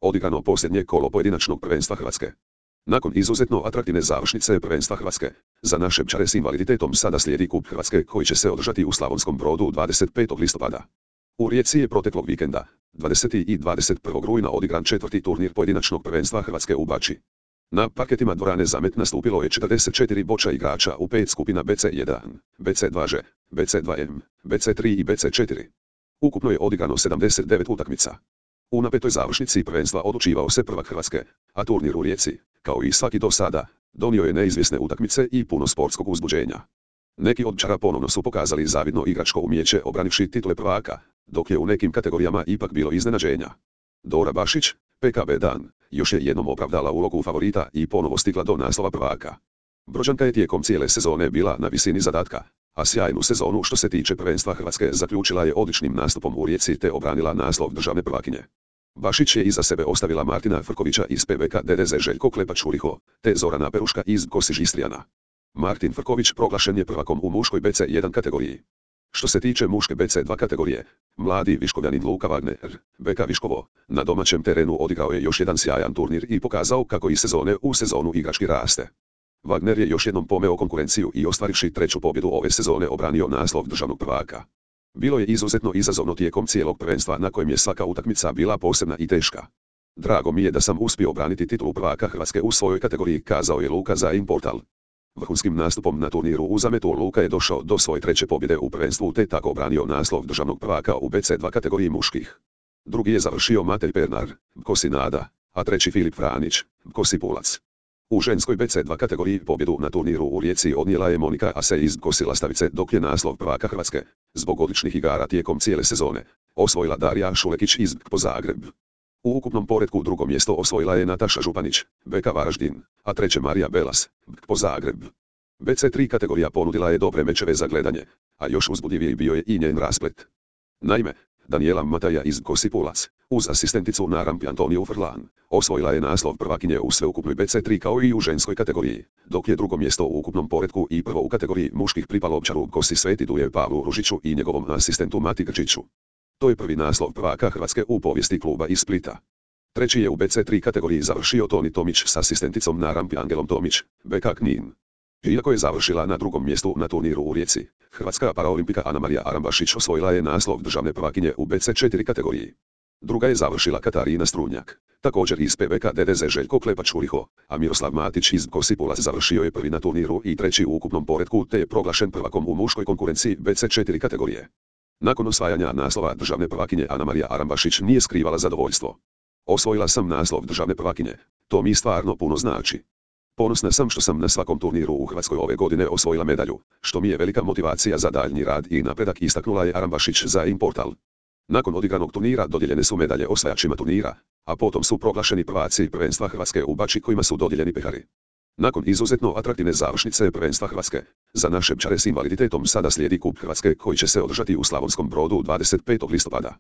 Odigrano posljednje kolo pojedinačnog prvenstva Hrvatske. Nakon izuzetno atraktivne završnice prvenstva Hrvatske, za naše pčare s invaliditetom sada slijedi kup Hrvatske koji će se održati u Slavonskom Brodu 25. listopada. U Rijeci je proteklog vikenda, 20. i 21. rujna odigran četvrti turnir pojedinačnog prvenstva Hrvatske u Bački. Na parketima dvorane Zamet nastupilo je 44 boča igrača u 5 skupina BC1, BC2Ž, BC2M, BC3 i BC4. Ukupno je odigrano 79 utakmica. U napetoj završnici prvenstva odlučivao se prvak Hrvatske, a turnir u Rijeci, kao i svaki do sada, donio je neizvjesne utakmice i puno sportskog uzbuđenja. Neki od pčara ponovno su pokazali zavidno igračko umijeće obranivši titule prvaka, dok je u nekim kategorijama ipak bilo iznenađenja. Dora Bašić, PKB Dan, još je jednom opravdala ulogu favorita i ponovo stigla do naslova prvaka. Brođanka je tijekom cijele sezone bila na visini zadatka, a sjajnu sezonu što se tiče prvenstva Hrvatske zaključila je odličnim nastupom u Rijeci te obranila naslov državne prvakinje. Bašić je iza sebe ostavila Martina Frkovića iz PBK DDZ Željko Klepač-Uriho, te Zorana Peruška iz Kosiž Istrijana. Martin Frković proglašen je prvakom u muškoj BC1 kategoriji. Što se tiče muške BC2 kategorije, mladi Viškovljanin Luka Wagner, BK Viškovo, na domaćem terenu odigrao je još jedan sjajan turnir i pokazao kako iz sezone u sezonu igrački raste. Wagner je još jednom pomeo konkurenciju i ostvarivši treću pobjedu ove sezone obranio naslov državnog prvaka. Bilo je izuzetno izazovno tijekom cijelog prvenstva na kojem je svaka utakmica bila posebna i teška. Drago mi je da sam uspio obraniti titulu prvaka Hrvatske u svojoj kategoriji, kazao je Luka za Importal. Vrhunskim nastupom na turniru u Zametu Luka je došao do svoje treće pobjede u prvenstvu te tako obranio naslov državnog prvaka u BC2 kategoriji muških. Drugi je završio Matej Pernar, Kosi Nada, a treći Filip Franić, Kosi Pulac. U ženskoj BC2 kategoriji pobjedu na turniru u Rijeci odnijela je Monika Ase iz Kosi Lastavice, dok je naslov prvaka Hrvatske, zbog odličnih igara tijekom cijele sezone, osvojila Darija Šulekić iz KPO Zagreb. U ukupnom poretku drugo mjesto osvojila je Nataša Županić, BK Varaždin, a treće Marija Belas, KPO Zagreb. BC3 kategorija ponudila je dobre mečeve za gledanje, a još uzbudljiviji bio je i njen rasplet. Naime, Daniela Mataja iz Kosi Pulac, uz asistenticu na rampi Antoniju Frlan, osvojila je naslov prvakinje u sveukupnoj BC3 kao i u ženskoj kategoriji, dok je drugo mjesto u ukupnom poretku i prvo u kategoriji muških pripalo pčaru Kosi Sveti Duje Pavlu Ružiću i njegovom asistentu Mati Grčiću. To je prvi naslov prvaka Hrvatske u povijesti kluba iz Splita. Treći je u BC3 kategoriji završio Toni Tomić s asistenticom na rampi Angelom Tomić, BK Knin. Iako je završila na drugom mjestu na turniru u Rijeci, hrvatska paraolimpika Anamarija Arambašić osvojila je naslov državne prvakinje u BC4 kategoriji. Druga je završila Katarina Strunjak, također iz PBK DDZ Željko Klepač-Uriho, a Miroslav Matić iz Kosi Pulac završio je prvi na turniru i treći u ukupnom poretku te je proglašen prvakom u muškoj konkurenciji BC4 kategorije. Nakon osvajanja naslova državne prvakinje Anamarija Arambašić nije skrivala zadovoljstvo. Osvojila sam naslov državne prvakinje, to mi stvarno puno znači. Ponosna sam što sam na svakom turniru u Hrvatskoj ove godine osvojila medalju, što mi je velika motivacija za daljnji rad i napredak, istaknula je Arambašić za Importal. Nakon odigranog turnira dodijeljene su medalje osvajačima turnira, a potom su proglašeni prvaci prvenstva Hrvatske u Bački kojima su dodijeljeni pehari. Nakon izuzetno atraktivne završnice prvenstva Hrvatske, za naše pčare s invaliditetom sada slijedi kup Hrvatske koji će se održati u Slavonskom Brodu 25. listopada.